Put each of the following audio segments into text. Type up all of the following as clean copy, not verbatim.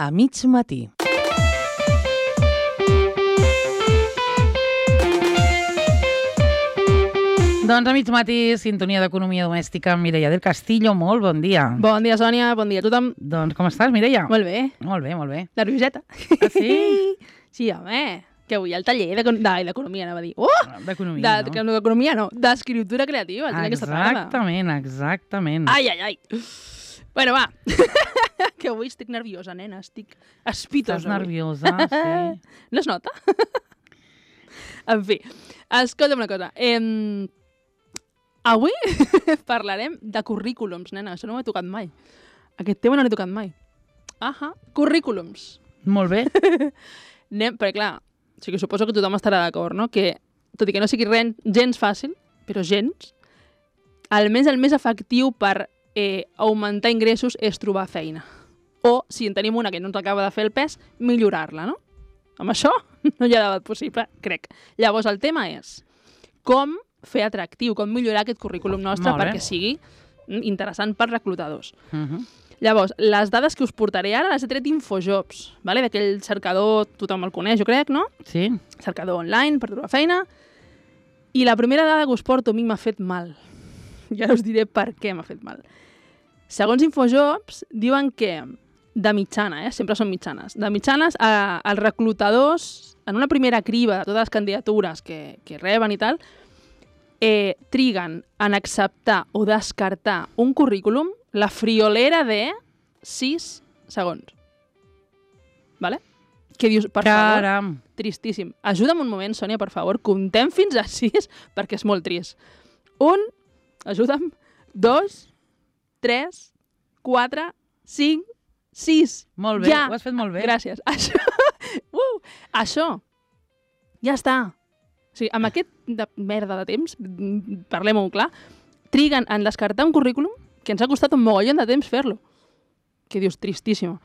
A mig matí. Doncs a mig matí, sintonia d'economia domèstica amb Mireia del Castillo. Molt bon dia. Bon dia, Sònia. Bon dia a tothom. Doncs com estàs, Mireia? Molt bé. Molt bé, molt bé. Nervioseta. Ah, sí? Sí, home. Que avui el taller d'economia, anava a dir. D'economia, no? D'economia no, d'escriptura creativa. Exactament, exactament. Ai, ai, ai. Bueno, va. Que avui estic nerviosa, nena. Estic espitosa. Estàs nerviosa, sí. No es nota? En fi, escolta'm una cosa. Avui parlarem de currículums, nena. Això no m'ha tocat mai. Aquest tema no l'he tocat mai. Currículums. Molt bé. Perquè, clar, o sigui, suposo que tothom estarà d'acord, no? Que, tot i que no sigui gens fàcil, però gens, el més efectiu per augmentar ingressos és trobar feina. O, si en tenim una que no ens acaba de fer el pes, millorar-la, no? Amb això no hi ha debat possible, crec. Llavors, el tema és com fer atractiu, com millorar aquest currículum nostre perquè sigui interessant per reclutadors. Llavors, les dades que us portaré ara les he tret d'Infojobs, vale? D'aquell cercador, tothom el coneix, jo crec, no? Sí. Cercador online per trobar feina. I la primera dada que us porto a mi m'ha fet mal. I ara us diré per què m'ha fet mal. Segons Infojobs, diuen que de mitjana, sempre són mitjanes, de mitjanes els reclutadors, en una primera criba de totes les candidatures que reben i tal, triguen en acceptar o descartar un currículum la friolera de 6 segons. Vale? Que dius, per favor, tristíssim. Ajuda'm un moment, Sònia, per favor, comptem fins a 6 perquè és molt trist. 1, ajuda'm, 2, 3, 4, 5, 6. Molt bé, ja. Ho has fet molt bé. Gràcies. Això. Ja està. O sigui, amb aquest merda de temps, parlem-ho clar, triguen en descartar un currículum que ens ha costat un mogollon de temps fer-lo. Que dius, tristíssim.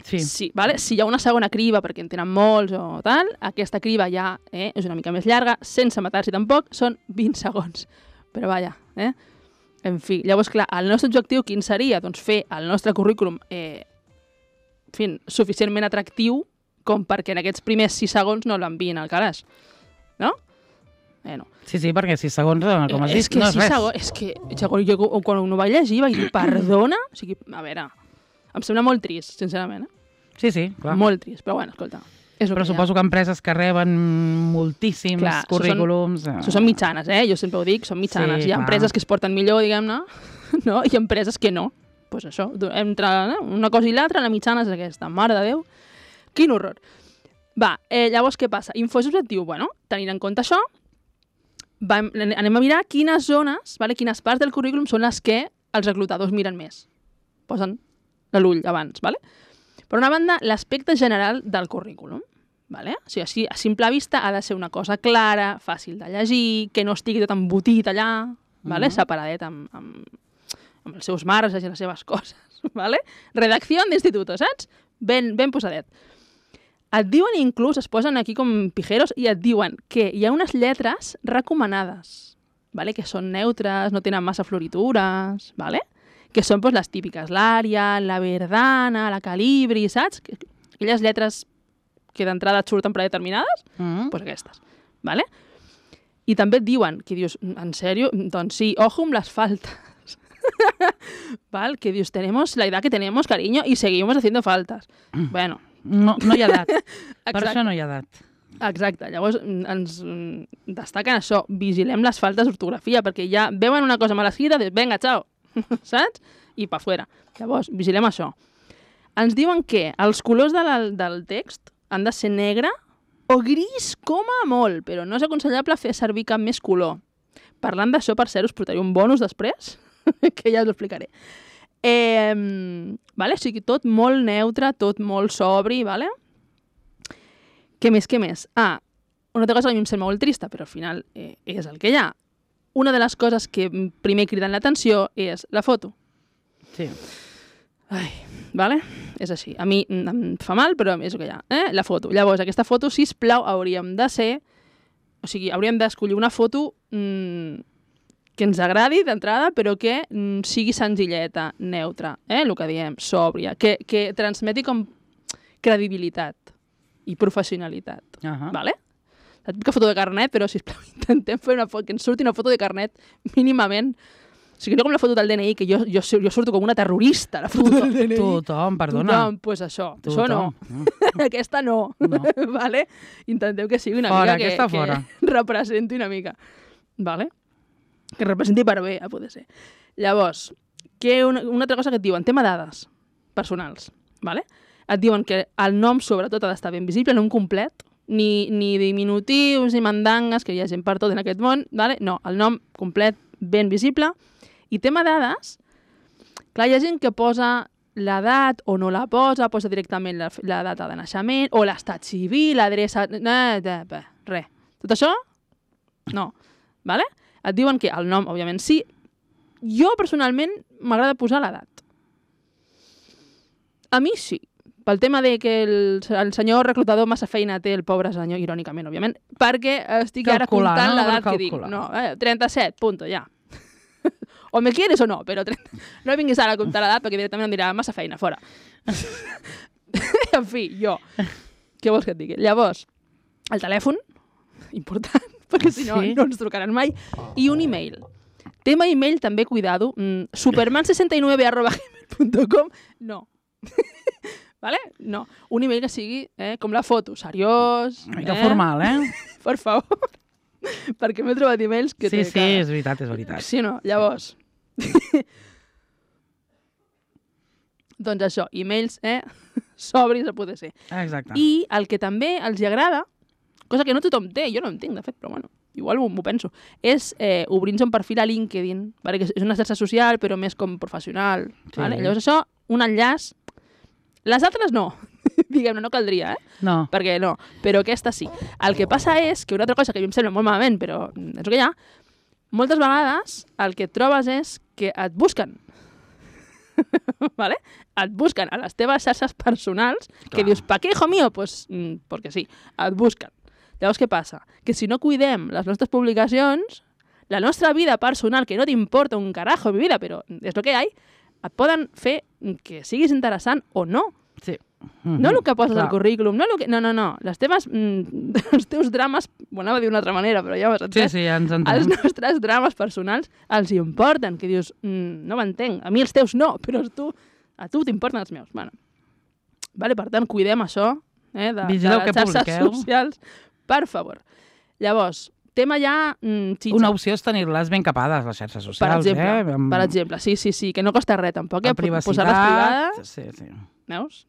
Sí, vale? Si hi ha una segona criba, perquè en tenen molts o tal, aquesta criba ja és una mica més llarga, sense matar-s'hi tampoc, són 20 segons. Però vaja, En fi, llavors, clar, el nostre objectiu quin seria? Doncs fer el nostre currículum suficientment atractiu com perquè en aquests primers 6 segons no l'enviïn al calaix. No? No. Sí, perquè 6 segons, com has dit, no és res. És que jo quan ho vaig llegir vaig dir, perdona? O sigui, a veure, em sembla molt trist, sincerament. Sí, clar. Molt trist, però bueno, escolta. Però suposo que empreses que reben moltíssims currículums... Això són mitjanes, jo sempre ho dic, són mitjanes. Hi ha empreses que es porten millor, diguem-ne, no? I empreses que no. Doncs això, entre una cosa i l'altra, la mitjana és aquesta. Mare de Déu, quin horror. Va, llavors què passa? Infojobs et diu, tenint en compte això, anem a mirar quines zones, quines parts del currículum són les que els reclutadors miren més. Posen l'ull abans, vale? Per una banda, l'aspecte general del currículum. Vale? O sigui, a simple vista ha de ser una cosa clara, fàcil de llegir, que no estigui tot embotit allà, separadet amb els seus marges i les seves coses. Vale? Redacció d'institut, saps? Ben posadet. Et diuen inclús, es posen aquí com pijeros, i et diuen que hi ha unes lletres recomanades, vale? Que són neutres, no tenen massa floritures, vale? Que són les típiques, l'Arial, la Verdana, la Calibri, saps? Aquelles lletres que d'entrada et surten predeterminades, doncs aquestes. Vale? I també et diuen, que dius, en sèrio? Doncs sí, ojo amb les faltes. Val? Que dius, tenemos la edad que tenemos, cariño, y seguimos haciendo faltas. Bueno. No hi ha edat. Per això no hi ha edat. Exacte. Llavors ens destaquen això. Vigilem les faltes d'ortografia, perquè ja veuen una cosa mal escrita, venga, chao. Saps? I pa fuera. Llavors, vigilem això. Ens diuen que els colors del text han de ser negre o gris com a molt, però no és aconsellable fer servir cap més color. Parlant d'això, per cert, us portaré un bonus després, que ja us ho explicaré. Vale? O sigui, tot molt neutre, tot molt sobri, vale? Què més? Una altra cosa que a mi em sembla molt trista, però al final és el que hi ha. Una de les coses que primer criden l'atenció és la foto. Sí. Ai, vale? És així. A mi em fa mal, però és el que hi ha. La foto. Llavors, aquesta foto, sisplau, hauríem d'escollir una foto que ens agradi d'entrada, però que sigui senzilleta, neutra, el que diem, sòbria, que transmeti com credibilitat i professionalitat. Vale? La típica foto de carnet, però, sisplau, intentem fer una foto, que ens surti una foto de carnet mínimament. O sigui, no com la foto del DNI, que jo surto com una terrorista, la foto del DNI. Tothom, perdona. Tothom, doncs això. Això no. Aquesta no. Vale? Intentem que sigui una mica que representi una mica. Vale? Que representi per bé, a poder ser. Llavors, una altra cosa que et diuen, tema dades personals. Vale? Et diuen que el nom, sobretot, ha d'estar ben visible, no un complet, ni diminutius, ni mandangues, que hi ha gent per tot en aquest món. Vale? No, el nom complet, ben visible. I tema dades, clar, hi ha gent que posa l'edat o no la posa directament la data de naixement, o l'estat civil, l'adreça... Res. Tot això? No. Vale? Et diuen que el nom, òbviament, sí. Jo, personalment, m'agrada posar l'edat. A mi sí. Pel tema de que el senyor reclutador massa feina té, el pobre senyor, irònicament, òbviament, perquè estic ara comptant l'edat que dic. No, 37, punto, ja. O me quieres o no, però no vinguis ara a comptar l'edat perquè directament em dirà massa feina, fora. En fi, jo. Què vols que et digui? Llavors, el telèfon, important, perquè si no, no ens trucaran mai, i un e-mail. Tema e-mail també, cuidado, superman69@gmail.com, no. Vale? No. Un e-mail que sigui com la foto, seriós. Una mica formal, Per favor. Perquè m'he trobat e-mails que... Sí, és veritat, és veritat. Sí o no? Llavors... Doncs això, e-mails, sobris a poder ser. Exacte. I el que també els agrada, cosa que no tothom té, jo no en tinc, de fet, però bueno, igual m'ho penso, és obrir-nos un perfil a LinkedIn, perquè és una xarxa social, però més com professional. Sí. Vale? Llavors això, un enllaç... Les altres no. Diguem-ne, no caldria, No. Perquè no, però aquesta sí. El que passa és que una altra cosa que a mi em sembla molt malament, però és el que hi ha, moltes vegades el que et trobes és que et busquen. ¿Vale? Et busquen a les teves xarxes personals, que dius, ¿pa qué, hijo mío? Pues, porque sí, et busquen. Llavors, què passa? Que si no cuidem les nostres publicacions, la nostra vida personal, que no t'importa un carajo mi vida, però és el que hi ha, et poden fer que siguis interessant o no. Sí. No el que poses al currículum, no. Les teves, els teus drames, ho anava a dir d'una altra manera, però ja ho has entès. Sí, ja ens entenem. Els nostres drames personals els importen, que dius, no m'entenc, a mi els teus no, però a tu t'importen els meus. Bueno. Vale, per tant, cuidem això, de les xarxes socials, per favor. Llavors, tema ja xitxa. Una opció és tenir-les ben capades, les xarxes socials. Per exemple, sí, que no costa res tampoc, posar-les privades. Sí. Veus?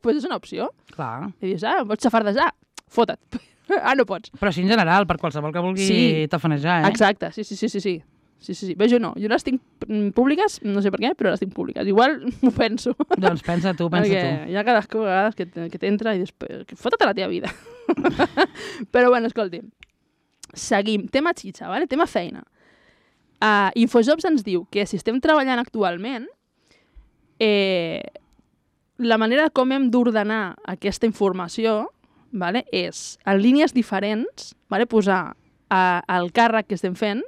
Pues és una opció. Clar. I dius, pots xafardejar? Fota't. No pots. Però així en general, per qualsevol que vulgui tafanejar, Exacte, sí. Bé, jo no. Jo les tinc públiques, no sé per què, però les tinc públiques. Igual m'ho penso. Doncs pensa tu. Perquè hi ha cadascú a vegades que t'entra i dius, fota't a la teva vida. Però bueno, escolti. Seguim. Tema xitxa, ¿vale? Tema feina. Infojobs ens diu que si estem treballant actualment, la manera com hem d'ordenar aquesta informació, vale, és en línies diferents, vale, posar el càrrec que estem fent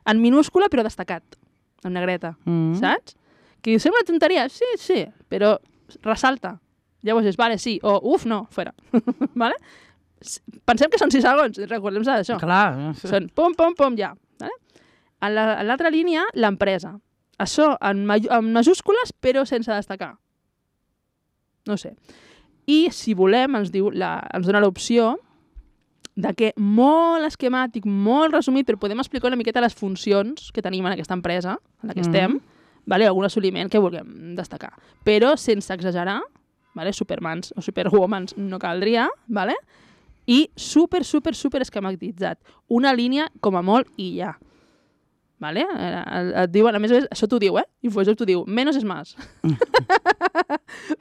en minúscula però destacat, en negreta, saps? Que diu, sembla una tonteria, sí, però ressalta. Llavors és, vale, sí, o uf, no, fora. Vale? Pensem que són 6 segons, recordem-se d'això. Clar. Són pom, ja. Vale? En l'altra línia, l'empresa. Això en majúscules però sense destacar. No sé. I si volem, ens dona l'opció de que molt esquemàtic, molt resumit, però podem explicar una miqueta les funcions que tenim en aquesta empresa, en la que estem, vale? Algun assoliment que vulguem destacar. Però sense exagerar, vale? Supermans o superwomans no caldria, vale? I super esquematitzat. Una línia com a molt i ja. Vale? Et diuen, a més, això t'ho diu, Infojobs t'ho diu, menos és más.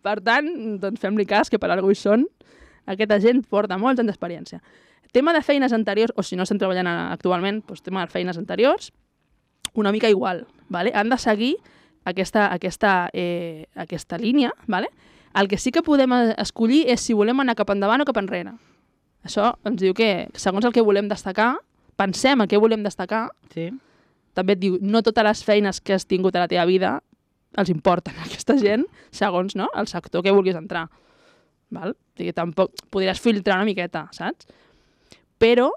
Per tant, doncs fem-li cas, que per alguna cosa hi són. Aquesta gent porta molts anys d'experiència. Tema de feines anteriors, o si no estem treballant actualment, doncs tema de feines anteriors, una mica igual. Vale? Han de seguir aquesta línia. Vale? El que sí que podem escollir és si volem anar cap endavant o cap enrere. Això ens diu que, segons el que volem destacar, pensem en què volem destacar, sí. També et diu, no totes les feines que has tingut a la teva vida els importen a aquesta gent, segons el sector que vulguis entrar. val? O sigui, tampoc podries filtrar una miqueta, saps? Però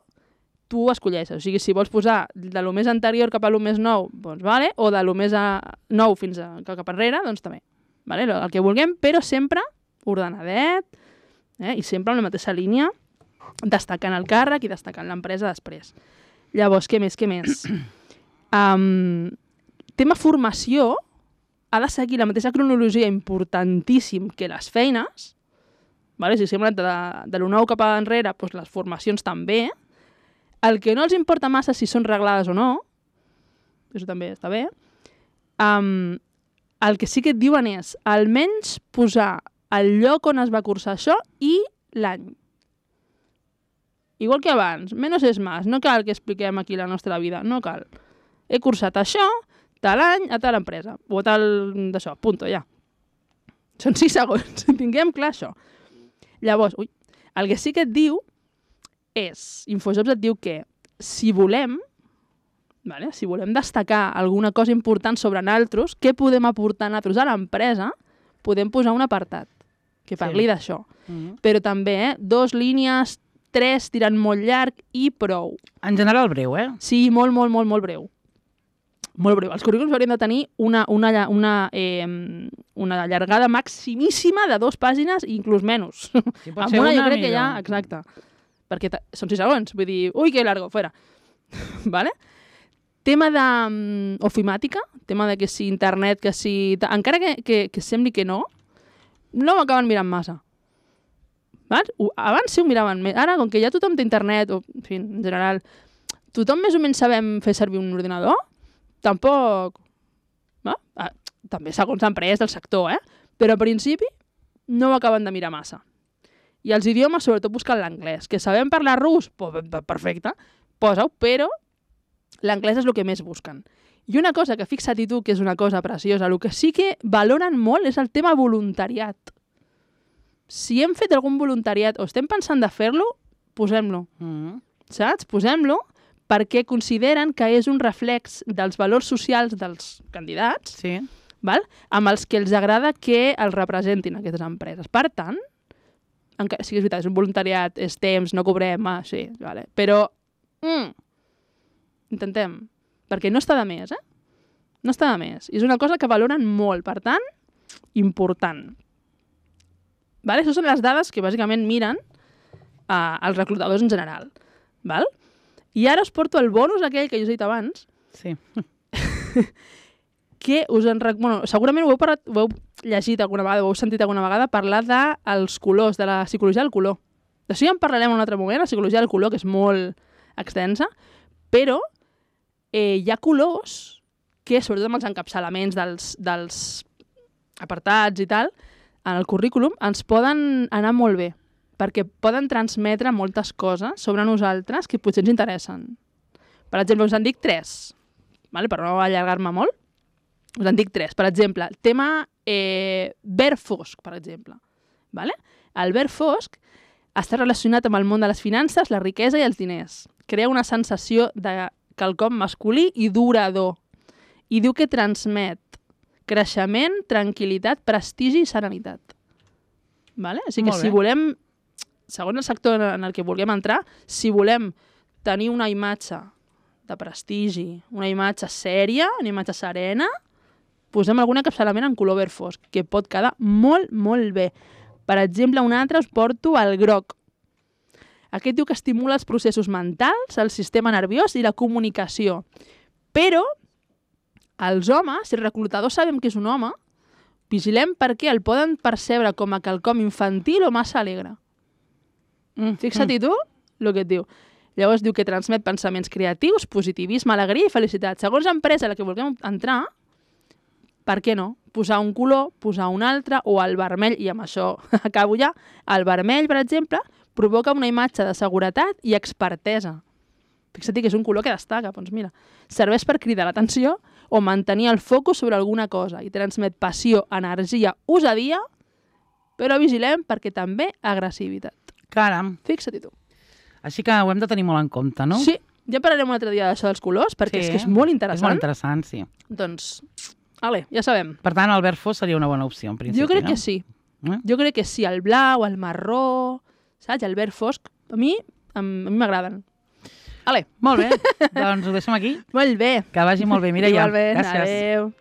tu escolleixes. O sigui, si vols posar de lo més anterior cap a lo més nou, doncs vale, o de lo més nou fins cap enrere, doncs també. Vale? El que vulguem, però sempre ordenadet, i sempre en la mateixa línia, destacant el càrrec i destacant l'empresa després. Llavors, què més? Tema formació ha de seguir la mateixa cronologia importantíssim que les feines, vale? Si sembla de lo nou cap enrere, doncs les formacions també. El que no els importa massa si són reglades o no, això també està bé, el que sí que et diuen és almenys posar el lloc on es va cursar això i l'any. Igual que abans, menos és más, no cal que expliquem aquí la nostra vida, no cal. He cursat això, tal any, a tal empresa, o tal d'això, punto, ja. Són 6 segons, tinguem clar això. Llavors, el que sí que et diu és, Infojobs et diu que si volem destacar alguna cosa important sobre nosaltres, què podem aportar nosaltres a l'empresa, podem posar un apartat que parli d'això. Però també, 2 línies, 3 tirant molt llarg i prou. En general breu, Sí, molt breu. Molt breu. Els currículums haurien de tenir una llargada maximíssima de 2 pàgines i inclús menys. Si pot ser jo una, crec que millor. ja, exacte. Perquè són 6 segons, vull dir, ui, que largo, fuera. Vale? Tema d'ofimàtica, tema de que si internet, que si... Encara que sembli que no ho acaben mirant massa. Abans sí ho miraven més. Ara, com que ja tothom té internet, o, en fi, en general, tothom més o menys sabem fer servir un ordinador, tampoc... També segons l'empresa del sector, però al principi no ho acaben de mirar massa. I els idiomes, sobretot buscant l'anglès. Que sabem parlar rus? Perfecte, posa-ho, però l'anglès és el que més busquen. I una cosa que fixa-t'hi tu, que és una cosa preciosa, el que sí que valoren molt és el tema voluntariat. Si hem fet algun voluntariat o estem pensant de fer-lo, posem-lo. Saps? Posem-lo perquè consideren que és un reflex dels valors socials dels candidats, val? Amb els que els agrada que els representin aquestes empreses. Per tant, sí que és veritat, és un voluntariat, és temps, no cobrem, sí, vale. Però intentem, perquè no està de més, No està de més. És una cosa que valoren molt, per tant, important. Vale? Això són les dades que bàsicament miren els reclutadors en general. Val? I ara us porto el bonus aquell que jo us he dit abans. Sí. Que segurament ho heu llegit alguna vegada, ho heu sentit alguna vegada parlar dels colors, de la psicologia del color. D'això ja en parlarem en un altre moment, la psicologia del color, que és molt extensa, però hi ha colors que, sobretot amb els encapçalaments dels apartats i tal, en el currículum, ens poden anar molt bé, perquè poden transmetre moltes coses sobre nosaltres que potser ens interessen. Per exemple, us en dic 3, per no allargar-me molt. Us en dic 3. Per exemple, el tema verd fosc, per exemple. El verd fosc està relacionat amb el món de les finances, la riquesa i els diners. Crea una sensació de quelcom masculí i durador. I diu que transmet creixement, tranquil·litat, prestigi i serenitat. Així que si volem, segons el sector en el que vulguem entrar, si volem tenir una imatge de prestigi, una imatge sèria, una imatge serena, posem algun encapçalament en color verd fosc, que pot quedar molt, molt bé. Per exemple, un altre us porto el groc. Aquest diu que estimula els processos mentals, el sistema nerviós i la comunicació. Però els homes, si el reclutador sabem que és un home, vigilem perquè el poden percebre com a quelcom infantil o massa alegre. Fixa-t'hi tu el que et diu. Llavors diu que transmet pensaments creatius, positivisme, alegria i felicitat. Segons l'empresa a la que vulguem entrar, per què no? Posar un color, posar un altre, o el vermell, i amb això acabo ja, el vermell, per exemple, provoca una imatge de seguretat i expertesa. Fixa't que és un color que destaca, doncs mira, serveix per cridar l'atenció o mantenir el focus sobre alguna cosa i transmet passió, energia, osadia, però vigilem perquè també agressivitat. Caram. Fixa-t'hi tu. Així que ho hem de tenir molt en compte, no? Sí, ja parlarem un altre dia d'això dels colors, perquè és que és molt interessant. És molt interessant, sí. Doncs, ja sabem. Per tant, el verd fosc seria una bona opció, en principi, jo crec que sí. Jo crec que sí, el blau, el marró, saps? El verd fosc, a mi m'agraden. Molt bé, doncs ho deixem aquí. Molt bé. Que vagi molt bé, Mireia. Igualment, Gràcies. adéu.